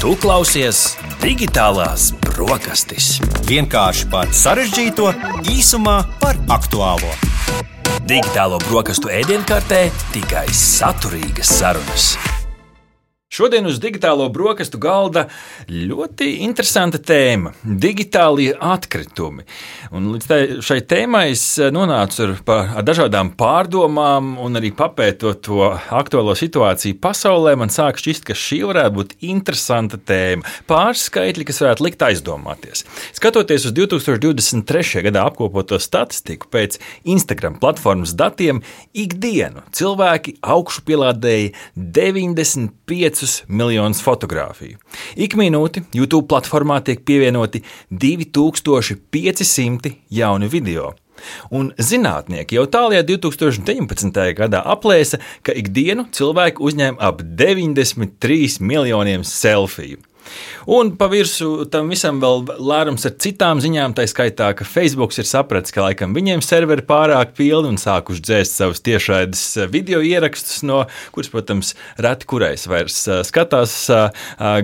Tu klausies Digitālās brokastis. Vienkārši par sarežģīto, īsumā par aktuālo. Digitālo brokastu ēdienkartē tikai saturīgas sarunas. Šodien uz digitālo brokastu galda ļoti interesanta tēma – digitālie atkritumi. Un līdz šai tēmai es nonācu ar dažādām pārdomām un arī papētot to aktuālo situāciju pasaulē, man sāk šķist, ka šī varētu būt interesanta tēma. Pāris skaitļi, kas varētu likt aizdomāties. Skatoties uz 2023. gadā apkopoto statistiku pēc Instagram platformas datiem, ikdienu cilvēki augšupielādēja 95 miljonus fotogrāfiju. Ik minūti YouTube platformā tiek pievienoti 2500 jauni video. Un zinātnieki jau tālajā 2019. gadā aplēsa, ka ikdienu cilvēki uzņem ap 93 miljoniem selfiju. Un pa virsmu tam visam vēl lērums ar citām ziņām, tā skaitā, ka Facebook ir sapratis, ka laikam viņiem serveri pārāk pilni un sākuši dzēst savus tiešraides video ierakstus, no kuras, protams, reti kurais vairs skatās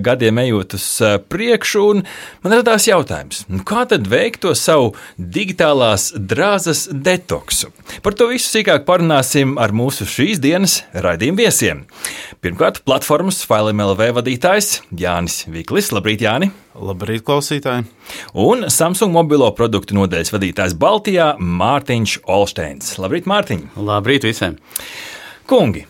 gadiem ejot uz priekšu. Un man radās jautājums, kā tad veikt to savu digitālās drāzas detoksu? Par to visu sīkāk parunāsim ar mūsu šīs dienas raidījuma viesiem. Pirmkārt, platformas File.mlv vadītājs Jānis Viklis. Labrīt, Jāni! Labrīt, klausītāji! Un Samsung mobilo produktu nodaļas vadītājs Baltijā Mārtiņš Olšteins. Labrīt, Mārtiņ! Labrīt visiem! Kungi,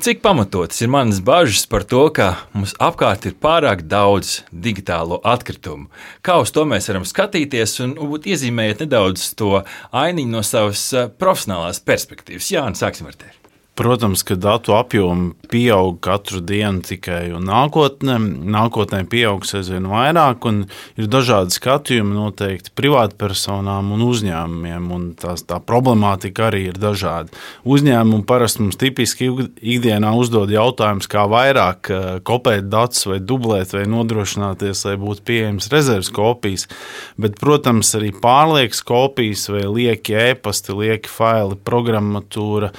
cik pamatotas ir manas bažas par to, ka mums apkārt ir pārāk daudz digitālo atkritumu? Kā uz to mēs varam skatīties un iezīmējiet nedaudz to ainiņu no savas profesionālās perspektīvas? Jāni, sāksim ar tevi. Protams, ka datu apjomi pieaug katru dienu tikai, un nākotnē pieaugs aizvien vairāk, un ir dažādi skatījumi noteikti privātpersonām un uzņēmumiem, un tā problemātika arī ir dažāda. Uzņēmumi parasti mums tipiski ikdienā uzdod jautājumus, kā vairāk kopēt datus vai dublēt vai nodrošināties, lai būtu pieejams rezerves kopijas, bet, protams, arī pārliekas kopijas vai lieki e-pasti, lieki faili, programmatūra,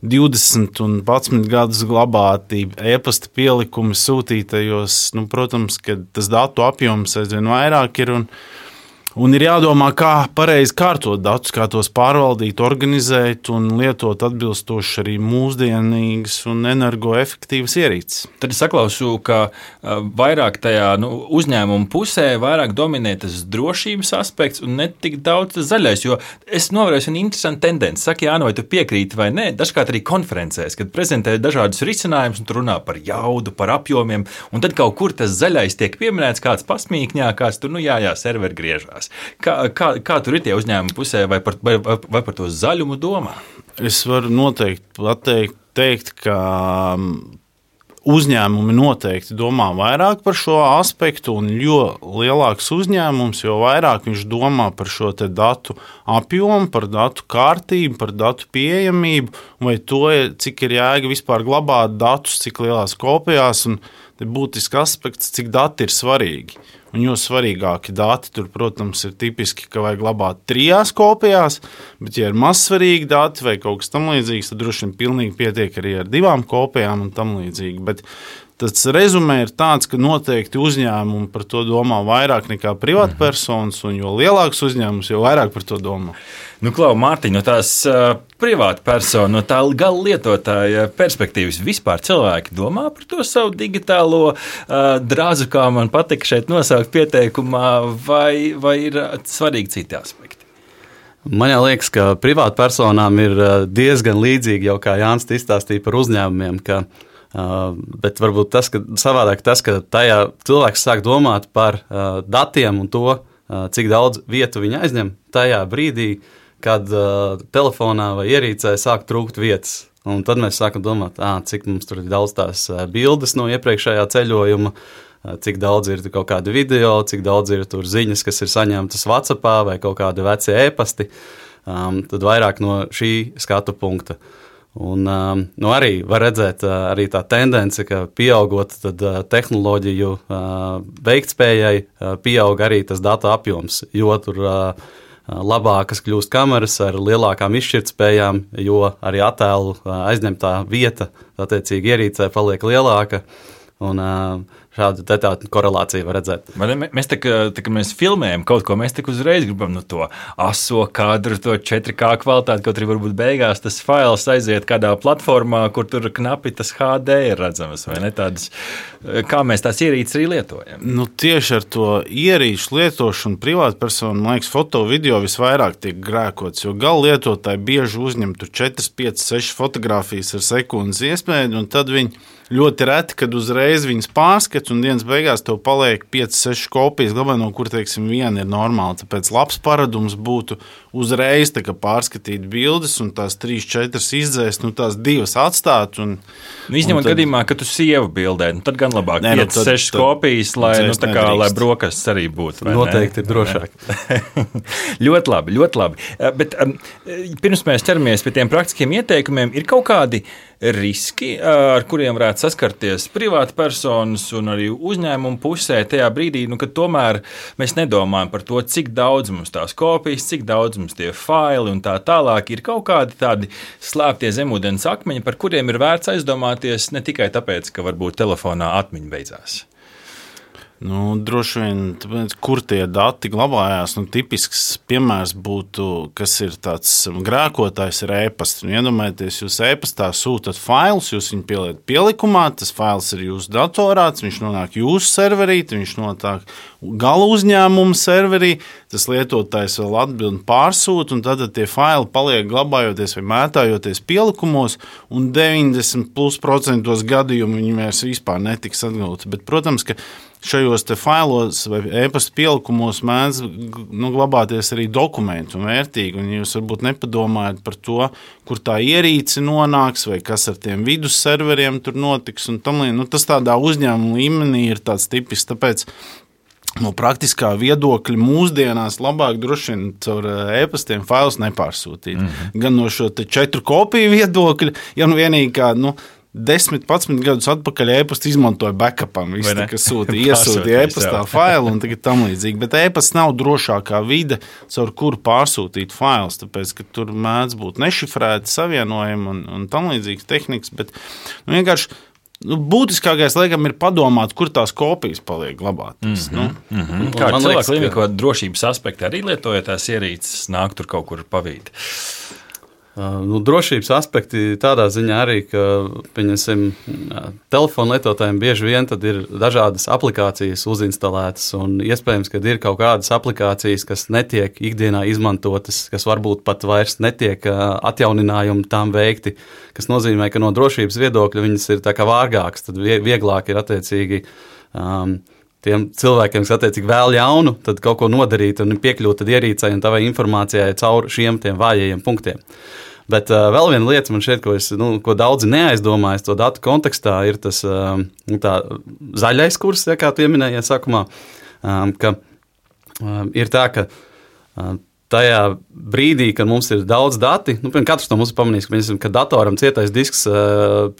20 un 11 gadus glabātība, e-pasta pielikumi sūtītajos, protams, ka tas datu apjoms aizvien vairāk ir un ir jādomā, kā pareizi kārtot datus, kā tos pārvaldīt, organizēt un lietot atbilstoši arī mūsdienīgas un energoefektīvas ierīces. Tad es saklausu, ka vairāk tajā uzņēmuma pusē vairāk dominē tas drošības aspekts un ne tik daudz tas zaļais, jo es novēroju vienu interesantu tendenci. Saki, Jāni, vai tu piekrīti vai nē, dažkārt arī konferencēs, kad prezentē dažādus risinājumus un tu runā par jaudu, par apjomiem, un tad kaut kur tas zaļais tiek pieminēts, kāds pasmīkņā, kāds tur, serveri griežās. Kā tur ir tie uzņēmumi pusē, vai par to zaļumu domā? Es varu noteikti teikt, ka uzņēmumi noteikti domā vairāk par šo aspektu, un jo lielāks uzņēmums, jo vairāk viņš domā par šo te datu apjomu, par datu kārtību, par datu pieejamību, vai to, cik ir jēga vispār glabāt datus, cik lielās kopijās, un te būtisks aspekts, cik dati ir svarīgi. Un jo svarīgāki dati tur, protams, ir tipiski, ka vajag glabāt 3 kopijās, bet ja ir mazsvarīgi dati vai kaut kas tam līdzīgs, tad droši vien pilnīgi pietiek arī ar 2 kopijām un tam līdzīgi. Bet tas rezumē ir tāds, ka noteikti uzņēmumi par to domā vairāk nekā privātpersonas, un jo lielāks uzņēmums, jo vairāk par to domā. Klau, Mārtiņ, no tās privātpersona, no tā gala lietotāja perspektīvas vispār cilvēki domā par to savu digitālo drāzu, kā man patika šeit nosaukt pieteikumā, vai ir svarīgi citi aspekti? Man jau liekas, ka privātpersonām ir diezgan līdzīgi, jau kā Jānis izstāstīja par uzņēmumiem, bet varbūt savādāk tas, ka tajā cilvēks sāk domāt par datiem un to, cik daudz vietu viņi aizņem tajā brīdī, kad telefonā vai ierīcē sāk trūkt vietas. Un tad mēs sākam domāt, cik mums tur ir daudz tās bildes no iepriekšējā ceļojuma, cik daudz ir kaut kādi video, cik daudz ir tur ziņas, kas ir saņemtas WhatsAppā vai kaut kādi veci e-pasti. Tad vairāk no šī skatu punkta. Un arī var redzēt arī tā tendence, ka pieaugot tad tehnoloģiju veiktspējai pieaug arī tas datu apjoms, jo tur labākas kļūst kameras ar lielākām izšķirtspējām, jo arī attēlu aizņemtā vieta, attiecīgi ierīcē, paliek lielāka. Un šādu tādu korelāciju var redzēt. Mēs tā kā mēs filmējam kaut ko, mēs uzreiz gribam to aso kadru, to 4K kvalitāti, kaut arī varbūt beigās tas fails aiziet kādā platformā, kur tur knapi tas HD ir redzams, vai ne tādas, kā mēs tās ierīces arī lietojam. Nu, tieši ar to ierīču lietošanu privātpersonu, man liekas, foto video visvairāk tiek grēkots, jo gala lietotāji bieži uzņem tur 4, 5, 6 fotogrāfijas ar sekundes iespēju, un tad viņi ļoti reti, kad uzreiz viņas pārskats, un dienas beigās tev paliek 5-6 kopijas, glabā, no kur, teiksim, viena ir normāla. Tāpēc labs paradums būtu uzreiz pārskatīt bildes, un tās 3-4 izdzēst, tās 2 atstāt. Izņemot gadījumā, ka tu sievu bildē, tad gan labāk 5-6 kopijas, lai brokastis arī būtu. Noteikti ir drošāk. Ļoti labi, ļoti labi. Bet pirms mēs ķeramies pie tiem praktiskiem ieteikumiem, ir kaut kādi riski, ar kuriem varētu saskarties privātpersonas un arī uzņēmumu pusē tajā brīdī, kad tomēr mēs nedomājam par to, cik daudz mums tās kopijas, cik daudz mums tie faili un tā tālāk. Ir kaut kādi tādi slēptie zemūdens akmeņi, par kuriem ir vērts aizdomāties ne tikai tāpēc, ka varbūt telefonā atmiņa beidzās. Droši vien, tāpēc, kur tie dati glabājās, tipisks piemērs būtu, kas ir tāds grēkotājs ir e-pasts. Iedomājieties, jūs e-pastā sūtat failus, jūs viņu pielietat pielikumā, tas fails ir jūsu datorā, viņš nonāk jūsu serverī, viņš nonāk gala uzņēmuma serverī, tas lietotājs vēl atbild un pārsūta, un tad tie faili paliek glabājoties vai mētājoties pielikumos, un 90% gadījumu viņi vairs vispār netiks atgūti. Bet, protams, ka šajos failos vai e-pasta pielikumos mēdz glabāties arī dokumenti un vērtīgi, un jūs varbūt nepadomājat par to, kur tā ierīce nonāks vai kas ar tiem vidus serveriem tur notiks. Un tas tādā uzņēmuma līmenī ir tāds tipisks, tāpēc no praktiskā viedokļa mūsdienās labāk droši vien caur e-pastiem failus nepārsūtīt. Gan no šo 4 kopiju viedokļa, ja vienīgi kā 10-11 gadus atpakaļ e-pastu izmantoja backupam. Visi, kas iesūtīja e-pastā failu un tagad tam līdzīgi. Bet e-pasts nav drošākā vide, caur kuru pārsūtīt failus, tāpēc, ka tur mēdz būt nešifrēti savienojumi un tam līdzīgas tehnikas. Bet vienkārši būtiskākais, laikam, ir padomāt, kur tās kopijas paliek glabātas. Kā cilvēku līmenī, ko drošības aspekti arī lietojot tās ierīces, nāk tur kaut kur pavīt? Drošības aspekti tādā ziņā arī, ka telefonu lietotājiem bieži vien tad ir dažādas aplikācijas uzinstalētas, un iespējams, ka ir kaut kādas aplikācijas, kas netiek ikdienā izmantotas, kas varbūt pat vairs netiek atjauninājumi tām veikti, kas nozīmē, ka no drošības viedokļa viņas ir tā kā vārgākas, tad vieglāk ir attiecīgi tiem cilvēkiem, kas attiecīgi vēl jaunu, tad kaut ko nodarīt un piekļūt ierīcei un tavai informācijai caur šiem tiem vājajiem punktiem. Bet vēl viena lieta man šeit, ko daudzi neaizdomājas to datu kontekstā, ir tas zaļais kurs, kā pieminējiet sākumā, ka ir tā, ka tajā brīdī, kad mums ir daudz dati, katrs no mums ir pamanījis, ka datoram cietais disks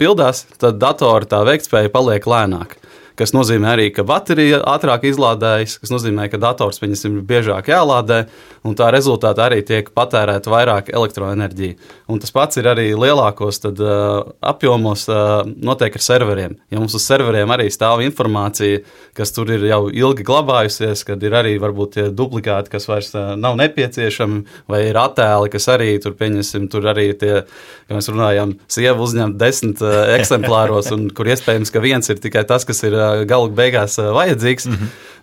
pildās, tad datora tā veiktspēja paliek lēnāk. Kas nozīmē arī, ka baterija ātrāk izlādējas, kas nozīmē, ka dators viņas ir biežāk jālādē, un tā rezultātā arī tiek patērēta vairāk elektroenerģija. Un tas pats ir arī lielākos apjomos notiek ar serveriem. Ja mums uz serveriem arī stāv informācija, kas tur ir jau ilgi glabājusies, kad ir arī varbūt tie duplikāti, kas vairs nav nepieciešami, vai ir attēli, kas arī tur pieņemsim, tur arī tie, kā mēs runājam, sieva uzņem 10 eksemplāros, un kur iespējams, ka viens ir tikai tas, kas ir galu beigās vajadzīgs,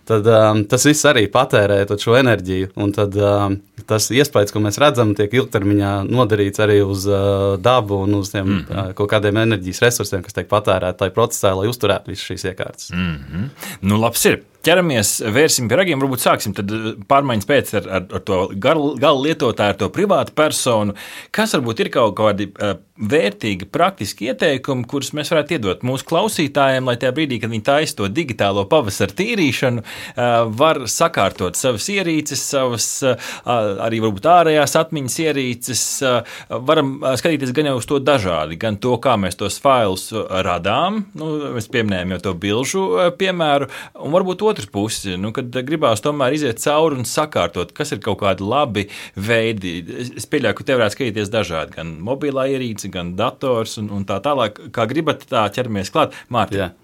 tad tas viss arī patērē šo enerģiju. Un tad tas iespējas, ko mēs redzam, tiek ilgtermiņā nodarīts arī uz dabu un uz tiem kaut kādiem enerģijas resursiem, kas tiek patērēti tajā procesā, lai uzturētu visas šīs iekārtas. Labs ir. Ķeramies, vērsim pie ragiem, varbūt sāksim tad pārmaiņas pēc ar to gala lietotāju, ar to privātu personu. Kas varbūt ir kaut kādi vērtīgi, praktiski ieteikumi, kurus mēs varētu iedot mūsu klausītājiem, lai tajā brīdī, kad viņi taisa to digitālo pavasaru tīrīšanu, var sakārtot savas ierīces, savas arī varbūt ārējās atmiņas ierīces. Varam skatīties gan jau uz to dažādi, gan to, kā mēs tos failus radām, mēs pieminējam jau to bilžu piemēru, un varbūt otrs pusi, kad gribās tomēr iziet cauri un sakārtot, kas ir kaut kādi labi veidi. Es pieļauju, ka te varētu skatīties dažādi, gan mobilā ierīce, gan dators un tā tālāk. Kā gribat, tā ķeramies klāt. Mārtiņ.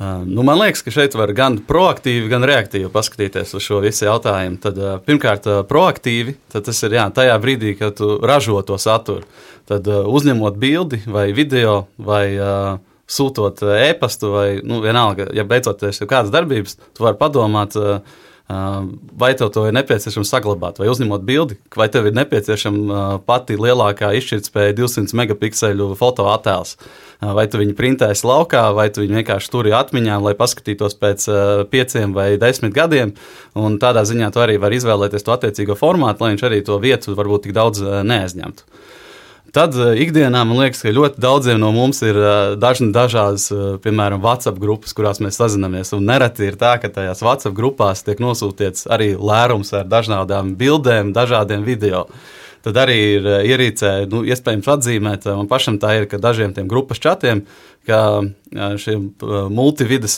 Man liekas, ka šeit var gan proaktīvi, gan reaktīvi paskatīties uz šo visu jautājumu. Tad, pirmkārt, proaktīvi, tad tas ir tajā brīdī, kad tu ražo to saturu. Tad uzņemot bildi vai video vai sūtot e-pastu vai vienalga, ja beidzoties jau kādas darbības, tu vari padomāt, vai tev to ir nepieciešams saglabāt, vai uzņemot bildi, vai tev ir nepieciešama pati lielākā izšķirtspēja 200 megapikseļu fotoattēls. Vai tu viņu printēsi laukā, vai tu viņu vienkārši turi atmiņā, lai paskatītos pēc 5 vai 10 gadiem, un tādā ziņā tu arī vari izvēlēties to attiecīgo formātu, lai viņš arī to vietu varbūt tik daudz neaizņemtu. Tad ikdienā man liekas, ka ļoti daudziem no mums ir dažādas, piemēram, WhatsApp grupas, kurās mēs sazinamies. Un nereti ir tā, ka tajās WhatsApp grupās tiek nosūtīts arī lērums ar dažādām bildēm, dažādiem video. Tad arī ir ierīcē, iespējams atzīmēt, man pašam tā ir, ka dažiem tiem grupas čatiem, ka šiem multividas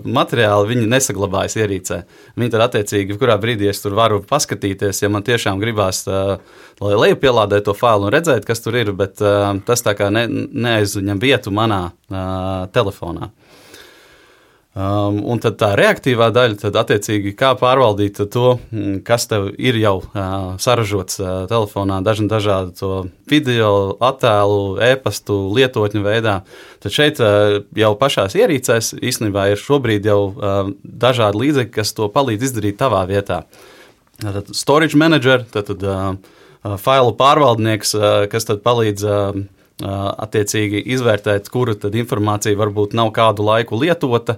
materiāli, viņi nesaglabājas ierīcē. Viņi tad attiecīgi, kurā brīdī es tur varu paskatīties, ja man tiešām gribās, lai lejupielādē to failu un redzēt, kas tur ir, bet tas tā kā neaizņem vietu manā telefonā. Un tad tā reaktīvā daļa, tad attiecīgi kā pārvaldīt to, kas tev ir jau saražots telefonā, dažādu to video, attēlu, e-pastu, lietotņu veidā. Tad šeit jau pašās ierīcēs īstenībā ir šobrīd jau dažādi līdzekļi, kas to palīdz izdarīt tavā vietā. Tad storage manager, tad failu pārvaldnieks, kas tad palīdz attiecīgi izvērtēt, kura tad informācija varbūt nav kādu laiku lietota,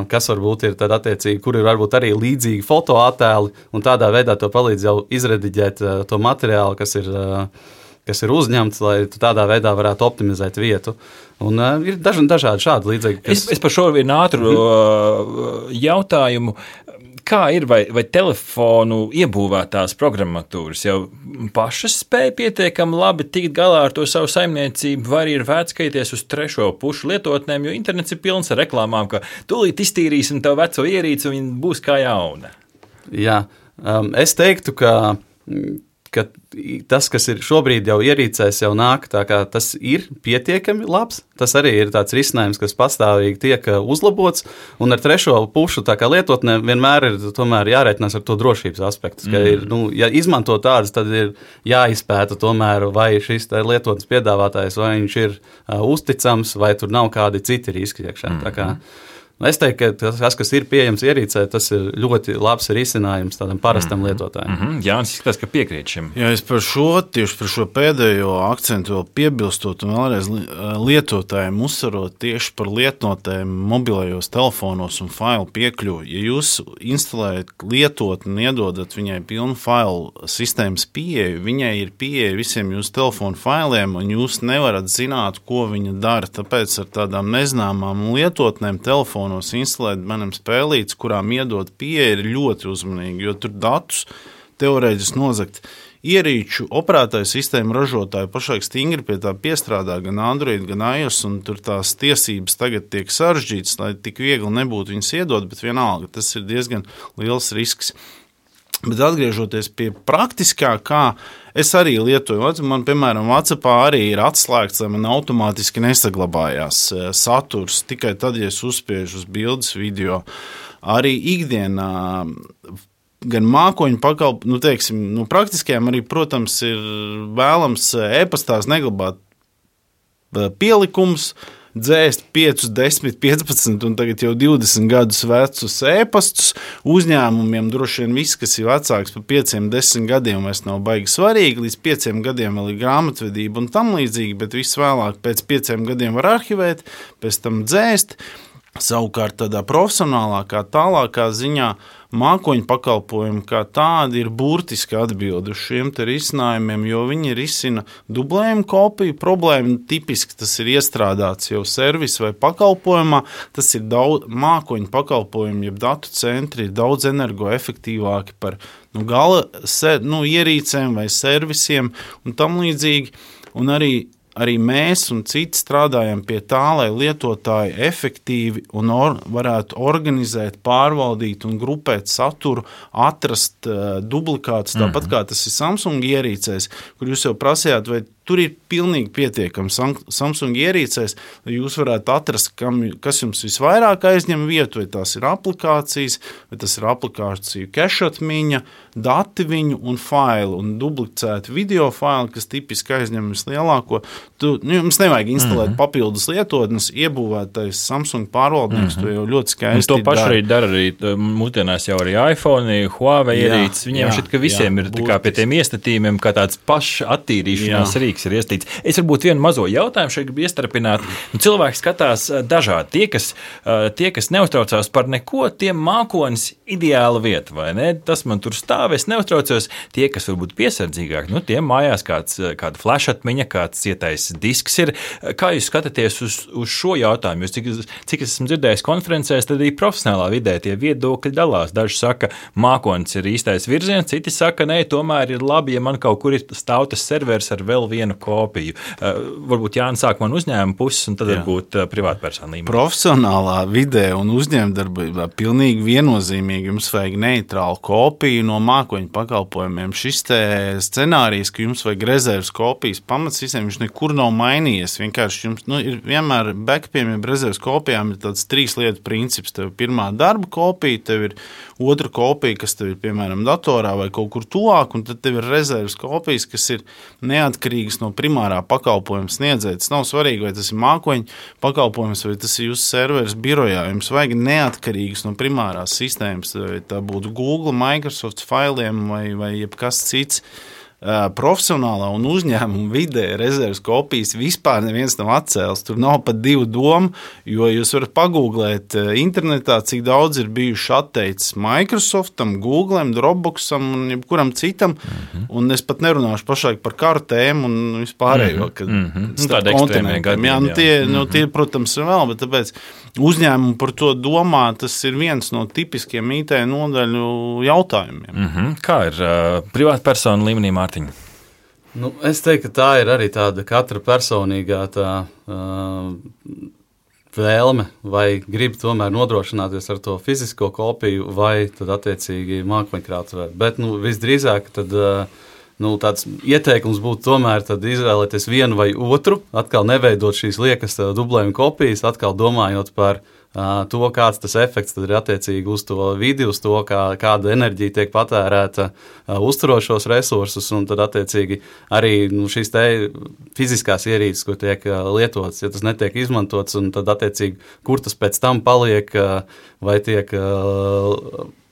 kas varbūt ir tad attiecīgi, kur ir varbūt arī līdzīgi fotoattēli, un tādā veidā to palīdz jau izrediģēt to materiālu, kas ir uzņemts, lai tādā veidā varētu optimizēt vietu. Un ir dažādi šādi līdzekļi. Es par šo vienu ātru jautājumu. Kā ir, vai telefonu iebūvētās programmatūras jau pašas spēja pietiekami labi tikt galā ar to savu saimniecību, vai arī ir vērts skatīties uz trešo pušu lietotnēm, jo internets ir pilns ar reklāmām, ka tūlīt iztīrīsim tavu veco ierīci un viņa būs kā jauna? Jā, es teiktu, ka tas, kas ir šobrīd jau ierīcēs, jau nāk, tā kā tas ir pietiekami labs. Tas arī ir tāds risinājums, kas pastāvīgi tiek uzlabots, un ar trešo pušu tā kā lietotnē vienmēr ir tomēr jārēķinās ar to drošības aspektu. Ka ir, ja izmanto tādas, tad ir jāizpēta tomēr, vai šis lietotnes piedāvātājs, vai viņš ir uzticams, vai tur nav kādi citi riski iekšā. Tā kā es teiktu, ka tas, kas ir pieejams ierīcē, tas ir ļoti labs risinājums tādam parastam lietotājam. Jānis izskatās, ka piekrīt šim. Jā, es tieši par šo pēdējo akcentu vēl piebilstot un vēlreiz lietotājiem uzsverot tieši par lietotnēm mobilajos telefonos un failu piekļuvi. Ja jūs instalējat lietotni un iedodat viņai pilnu failu sistēmas pieeju, viņai ir pieeja visiem jūsu telefonu failiem, un jūs nevarat zināt, ko viņa dara. Tāpēc ar tādām nezināmām lietotnēm telefonu instalēt manam spēlītes, kurām iedot pieeja, ir ļoti uzmanīgi, jo tur datus teorētiski nozagt. Ierīču operētāju sistēmu ražotāju pašlaik stingri pie tā piestrādā gan Android, gan iOS, un tur tās tiesības tagad tiek sarežģītas, lai tik viegli nebūtu viņas iedot, bet vienalga, tas ir diezgan liels risks. Bet atgriežoties pie praktiskā, kā es arī lietoju, man, piemēram, WhatsAppā arī ir atslēgts, lai man automātiski nesaglabājās saturs, tikai tad, ja es uzspiežu uz bildes video. Arī ikdienā gan mākoņu pakalpojumu, praktiskajām arī, protams, ir vēlams e-pastās neglabāt pielikums, dzēst 5, 10, 15 un tagad jau 20 gadus vecus e-pastus. Uzņēmumiem droši vien viss, kas ir vecāks par 5, 10 gadiem, vairs nav baigi svarīgi. Līdz 5 gadiem vēl ir grāmatvedība un tam līdzīgi, bet viss vēlāk pēc 5 gadiem var arhivēt, pēc tam dzēst. Savukārt tādā profesionālākā, tālākā ziņā mākoņu pakalpojumi kā tādi ir burtiski atbildi uz šiem te risinājumiem, jo viņi risina dublējumu kopiju problēmu. Tipiski tas ir iestrādāts jau servisu vai pakalpojumā. Tas ir mākoņu pakalpojumi, jeb datu centri ir daudz energoefektīvāki par gala ierīcēm vai servisiem un tam līdzīgi. Un arī mēs un citi strādājam pie tā, lai lietotāji efektīvi un varētu organizēt, pārvaldīt un grupēt saturu, atrast duplikātus, tāpat kā tas ir Samsung ierīcēs, kur jūs jau prasījāt, vai tur ir pilnīgi pietiekami Samsung ierīcēs, lai jūs varētu atrast, kas jums visvairāk aizņem vietu, vai tās ir aplikācijas, vai tas ir aplikāciju kešatmiņa, dati viņu un failu, un duplicēti video faili, kas tipiski aizņem vislielāko. Jums nevajag instalēt papildus lietotnes, iebūvētais Samsung pārvaldnieks, to jau ļoti skaisti to pašu arī dara arī mūsdienās jau arī iPhone, Huawei ierīces. Viņiem šķiet, ka visiem ir kā pie tiem iestatījumiem, kā tāds paša attīrīšanās rīks ir iestīts. Es varbūt vienu mazo jautājumu šeit gribu iestarpināt. Cilvēki skatās dažādi. Tie, kas neuztraucās par neko, tiem mākonis ideāla vieta, vai ne? Tas man tur stāv, es neuztraucos. Tie, kas varbūt piesardzīgāk, tiem mājās kāda flashatmiņa, kāds cietais disks ir. Kā jūs skatāties uz šo jautājumu? Cik es esmu dzirdējis konferencēs, tad arī profesionālā vidē tie viedokļi dalās. Daži saka, mākonis ir īstais virziens, citi saka, nē, tomēr ir labi, ja man kaut kur ir stāv tas serveris ar vēl vienu kopiju. Varbūt Jānis sāk man uzņēmuma puses, un tad varbūt privātpersonu līmenī. Profesionālā vidē un uzņēmdarbībā pilnīgi viennozīmīgi jums vajag neitrālu kopiju no mākoņu pakalpojumiem. Šis te scenārijs, ka jums vajag rezerves kopijas pamats visiem, viņš nekur nav mainījies. Vienkārši jums ir vienmēr backupiem, ja rezerves kopijām ir tāds 3 lietu princips. Tev ir pirmā darba kopija, tev ir otra kopija, kas tev ir, piemēram, datorā vai kaut kur tuvāk, un tad tev ir rezerves kopijas, kas ir neatkarīgas no primārā pakalpojuma sniedzēja. Tas nav svarīgi, vai tas ir mākoņu pakalpojums, vai tas ir jūsu serveris birojā. Jums vajag neatkarīgas no primārās sistēmas, vai tā būtu Google, Microsoft failiem vai jebkas cits. Profesionālā un uzņēmuma vidē rezerves kopijas vispār neviens nav atcēlis. Tur nav pat 2 domu, jo jūs varat pagūglēt internetā, cik daudz ir bijuši atteicis Microsoftam, Google'am, Dropboxam un jebkuram citam. Un es pat nerunāšu pašlaik par kartēm un vispārējo. Tāda ekstrēmie gadījumi. Tie, protams, ir vēl, bet tāpēc uzņēmumu par to domā, tas ir viens no tipiskiem IT nodaļu jautājumiem. Kā ir privātpersonu līmenī, Mārtiņ? Es teiktu, ka tā ir arī tāda katra personīgā vēlme, vai grib tomēr nodrošināties ar to fizisko kopiju, vai tad attiecīgi mākoņkrātuvi. Bet visdrīzāk tad tāds ieteikums būtu tomēr tad izvēlēties vienu vai otru, atkal neveidot šīs liekas dublējuma kopijas, atkal domājot par to, kāds tas efekts tad ir attiecīgi uz to vidi, uz to, kāda enerģija tiek patērēta uzturošos resursus, un tad attiecīgi arī šīs te fiziskās ierīces, ko tiek lietotas, ja tas netiek izmantots, un tad attiecīgi, kur tas pēc tam paliek, vai tiek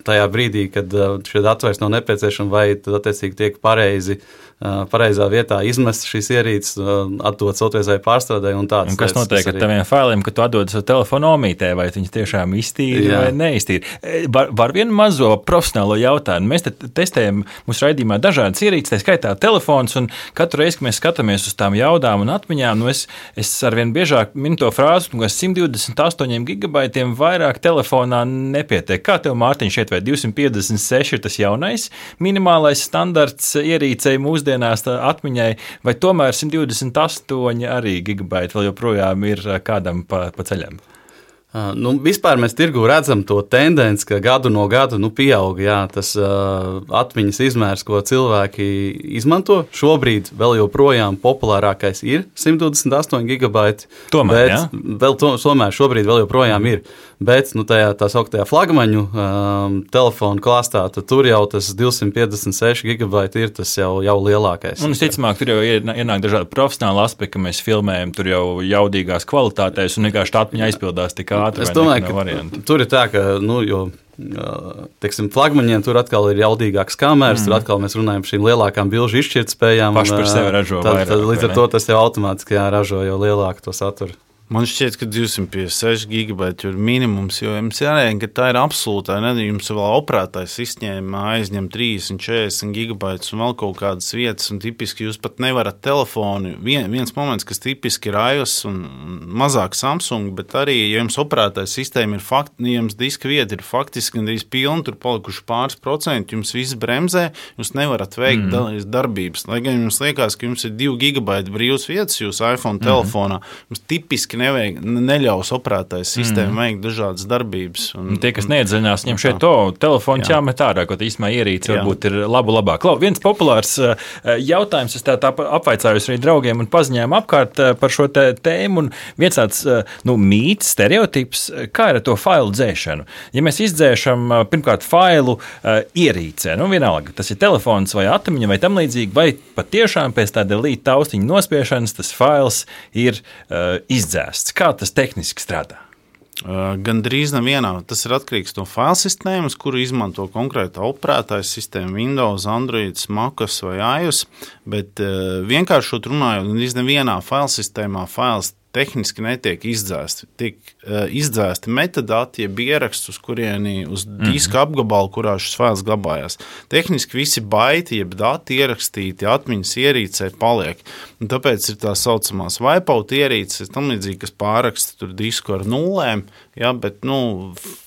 tajā brīdī, kad šie dati vairs nav nepieciešami, vai tad attiecīgi tiek pareizā vietā izmest šīs ierīces, atdot otrreizēji pārstrādē un tādas. Un kas notiek ar taviem failiem, kad tu atdod savu telefonu omītē, vai viņas tiešām iztīri vai neiztīri? Var vienu mazo profesionālo jautājumu. Mēs testējam mūsu raidījumā dažādas ierīces, tā skaitā telefons, un katru reizi, kad mēs skatāmies uz tām jaudām un atmiņām, es arvien biežāk minu to frāzi, ka 128 gigabaitiem vairāk telefonā nepietiek. Kā tev, Mārtiņ, šeit vai 256 ir tas jaunais minimālais standarts ierīcei mūsdienās atmiņai, vai tomēr 128 arī gigabaiti vēl joprojām ir kādam pa ceļam? Vispār mēs tirgu redzam to tendenci, ka gadu no gada pieaug tas atmiņas izmērs, ko cilvēki izmanto. Šobrīd vēl joprojām populārākais ir 128 gigabaiti. Tomēr, tomēr šobrīd vēl joprojām ir. Bet tajā tā sauktajā flagmaņu telefonu klāstā, tur jau tas 256 gigabaiti ir tas jau lielākais. Un visticamāk, tur jau ienāk dažādi profesionāli aspekti, ka mēs filmējam tur jau jaudīgās kvalitātēs un vienkārši tā atmiņa aizpildās tik ātri. Es domāju, ka tur ir tā, ka, flagmaņiem tur atkal ir jaudīgāks kameras, tur atkal mēs runājam par šīm lielākām bilžu izšķirtspējām. Paši par sevi ražo vairāk. Tad līdz ar to tas jau automātiski ražo jau lielāku to saturu. Man šķiet, ka 256 gigabaiti ir minimums, jo jums jārēķina, ka tā ir absolūtā. Jums vēl operētājs izņēma aizņem 30, 40 gigabaitus un vēl kaut kādas vietas, un tipiski jūs pat nevarat telefonu. Viens moments, kas tipiski ir iOS un mazāk Samsung, bet arī, ja jums operētājs sistēma ir jums diska vieta ir faktiski gandrīz pilna, tur palikuši pāris procenti, jums viss bremzē, jūs nevarat veikt darbības. Lai gan jums liekas, ka jums ir 2 gigabaiti brīvas vietas jūsu iPhone telefonā, jums tipiski fiziski neļaus operētājs sistēmu veikt dažādas darbības. Tie, kas neiedziļinās, viņam šeit telefons jāmet ārā, kaut īstumā ierīce varbūt ir labāk. Klau, viens populārs jautājums, es tā apvaicājos arī draugiem un paziņojumu apkārt par šo tēmu, un viens tāds mīts, stereotips, kā ir ar to failu dzēšanu. Ja mēs izdzēšam pirmkārt failu ierīcē, vienalga, tas ir telefons vai atmiņa vai tam līdzīgi, vai patiešām pēc tā delete taustiņa nospiešanas tas fails ir izdzēsts. Kā tas tehniski strādā? Gan drīz nevienā. Tas ir atkarīgs no faila sistēmas, kuru izmanto konkrēta operētāja sistēma, Windows, Android, MacOS vai iOS, bet vienkāršot runājot, gan drīz nevienā faila sistēmā fails tehniski netiek izdzēsti. Tiek izdzēsti metadati, jeb ieraksts, uz kurieni uz diska apgabalu, kurā šis fails glabājās. Tehniski visi baiti, jeb dati ierakstīti atmiņas ierīcē paliek. Un tāpēc ir tā saucamās wipeout ierīces, tam līdzīgi, kas pāraksta tur disku ar nulēm, bet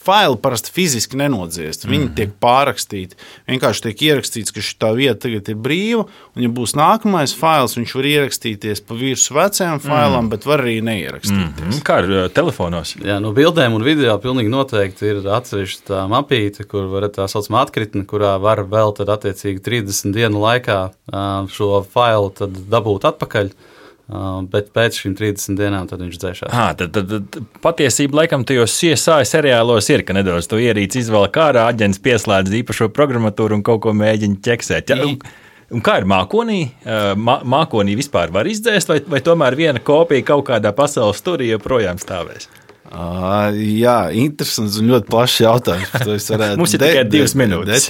faili parasti fiziski nenodziest. Viņi tiek pārakstīti. Vienkārši tiek ierakstīts, ka šitā vieta tagad ir brīva, un ja būs nākamais fails, viņš var ierakstīties pa virsmu vecajam failam, bet var arī neierakstīties. Kā ar telefonos? Jā, no bildēm un video pilnīgi noteikti ir atsevišķa tā mapīte, kur var tā saucamā atkritne, kurā var vēl tad attiecīgi 30 dienu laikā šo failu tad dabūt atpakaļ. Bet pēc šīm 30 dienām tad viņš dzēšās. Tad patiesība laikam tajos CSI seriālos ir, ka nedaudz to ierīci izvēl ārā, aģents pieslēdz īpašo programmatūru un kaut ko mēģina ķeksēt. Un kā ir mākonī? Mākonī vispār var izdzēst, vai tomēr viena kopija kaut kādā pasaules turī joprojām stāvēs? Jā, interesants un ļoti plašs jautājums. Mums ir tikai 2 minūtes.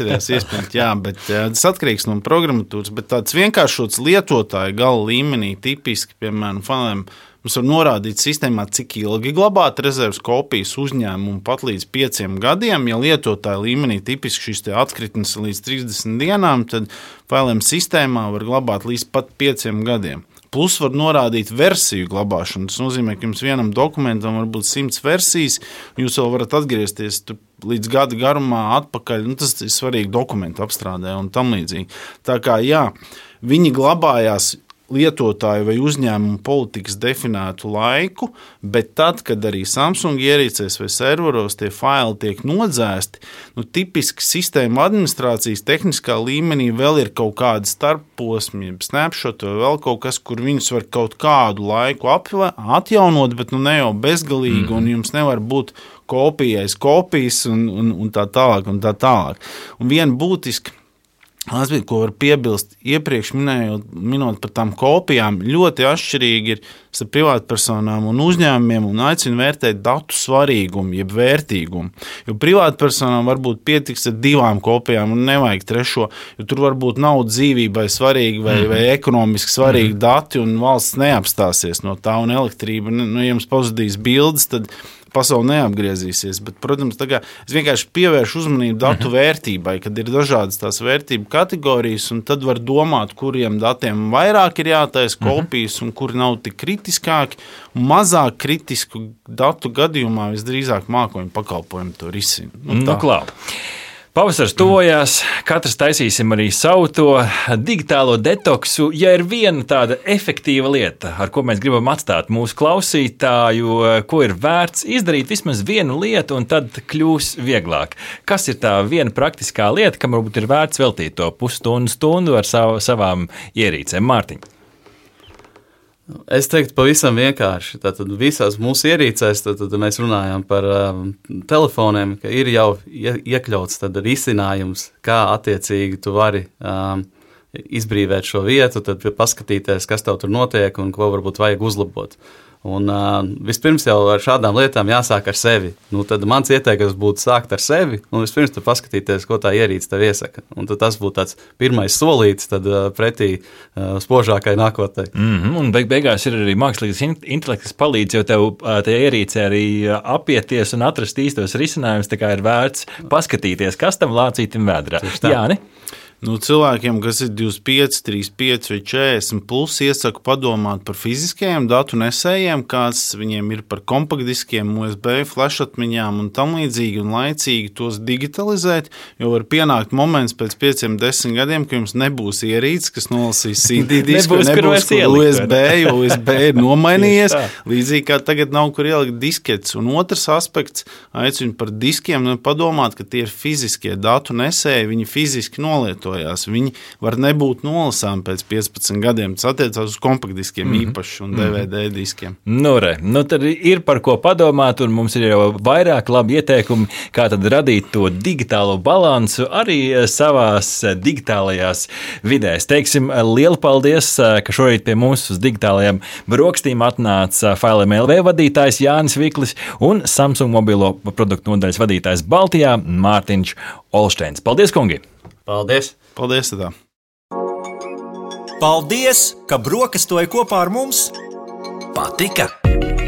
Bet tas atkarīgs no programmatūras, bet tāds vienkāršots lietotāja gala līmenī tipiski, piemēram, failiem, mums var norādīt sistēmā, cik ilgi glabāt rezerves kopijas uzņēmumu pat līdz 5 gadiem. Ja lietotāja līmenī tipiski šīs atkritnes līdz 30 dienām, tad failiem sistēmā var glabāt līdz pat 5 gadiem. Plus var norādīt versiju glabāšanu. Tas nozīmē, ka jums vienam dokumentam var būt 100 versijas, un jūs vēl varat atgriezties līdz gada garumā atpakaļ. Tas ir svarīgi dokumentu apstrādē un tam līdzīgi. Tā kā viņi glabājās lietotāju vai uzņēmumu politikas definētu laiku, bet tad, kad arī Samsung ierīcēs vai serveros tie faili tiek nodzēsti, tipiski sistēma administrācijas tehniskā līmenī vēl ir kaut kāda starpposmi, snapshot vai vēl kaut kas, kur viņus var kaut kādu laiku atjaunot, bet ne jau bezgalīgi, un jums nevar būt kopijas un tā tālāk un tā tālāk. Un viena būtiska aspekts, ko var piebilst iepriekš minot par tām kopijām, ļoti atšķirīgi ir starp privātpersonām un uzņēmumiem un aicinu vērtēt datu svarīgumu, jeb vērtīgumu. Jo privātpersonām varbūt pietiks ar 2 kopijām un nevajag 3, jo tur varbūt nav dzīvībai svarīgi vai ekonomiski svarīgi dati un valsts neapstāsies no tā un elektrība, ja jums pazudīs bildes, tad pasaule neapgriezīsies, bet, protams, es vienkārši pievēršu uzmanību datu vērtībai, kad ir dažādas tās vērtību kategorijas, un tad var domāt, kuriem datiem vairāk ir jātaisa kopijas un kuri nav tik kritiskāki, un mazāk kritisku datu gadījumā visdrīzāk mākoņu pakalpojumu to risina. Klau. Pavasars tuvojās, katrs taisīsim arī savu to digitālo detoksu. Ja ir viena tāda efektīva lieta, ar ko mēs gribam atstāt mūsu klausītāju, ko ir vērts izdarīt vismaz vienu lietu, un tad kļūs vieglāk. Kas ir tā viena praktiskā lieta, kam varbūt ir vērts veltīt to pusstundu ar savām ierīcēm? Mārtiņ. Es teiktu pavisam vienkārši. Tātad visās mūsu ierīcēs tad mēs runājam par telefoniem, ka ir jau iekļauts tad risinājums, kā attiecīgi tu vari izbrīvēt šo vietu, tad paskatīties, kas tev tur notiek un ko varbūt vajag uzlabot. Un vispirms jau ar šādām lietām jāsāk ar sevi. Tad mans ieteikums būtu sākt ar sevi un vispirms paskatīties, ko tā ierīce tev iesaka. Un tas būtu tāds pirmais solīts pretī spožākai nākotnē. Un beigās ir arī mākslīgais intelekts, kas palīdz, jo tev tajā ierīcē arī apieties un atrast īstos risinājumus, tā kā ir vērts paskatīties, kas tam lācītim vēdrā. Jā, ne? Cilvēkiem, kas ir 25, 35 vai 40 plus, iesaku padomāt par fiziskajiem datu nesējiem, kāds viņiem ir par kompaktdiskiem, USB, flash atmiņām un tam līdzīgi, un laicīgi tos digitalizēt, jo var pienākt moments pēc 5-10 gadiem, ka jums nebūs ierīces, kas nolasīs CD disku, nebūs kur USB, jo USB ir nomainījies, līdzīgi kā tagad nav kur ielikt disketes. Un otrs aspekts, aicinu par diskiem, padomāt, ka tie ir fiziskie datu nesēji, viņi fiziski nolietojās. Viņi var nebūt nolasām pēc 15 gadiem. Tas attiecās uz kompaktdiskiem īpaši un DVD diskiem. Tad ir par ko padomāt, un mums ir jau vairāk labi ieteikumi, kā tad radīt to digitālo balansu arī savās digitālajās vidēs. Teiksim, lielu paldies, ka šorīt pie mums uz digitālajām brokstīm atnāca Failem LV vadītājs Jānis Viklis un Samsung mobilo produktu nodaļas vadītājs Baltijā Mārtiņš Olšteins. Paldies, kungi! Paldies! Paldies! Tā. Paldies, ka brokastoji kopā ar mums! Patika?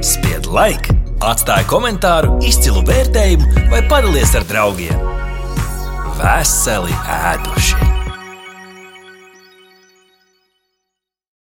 Spied like, atstāj komentāru, izcilu vērtējumu vai padalies ar draugiem. Veseli ēduši!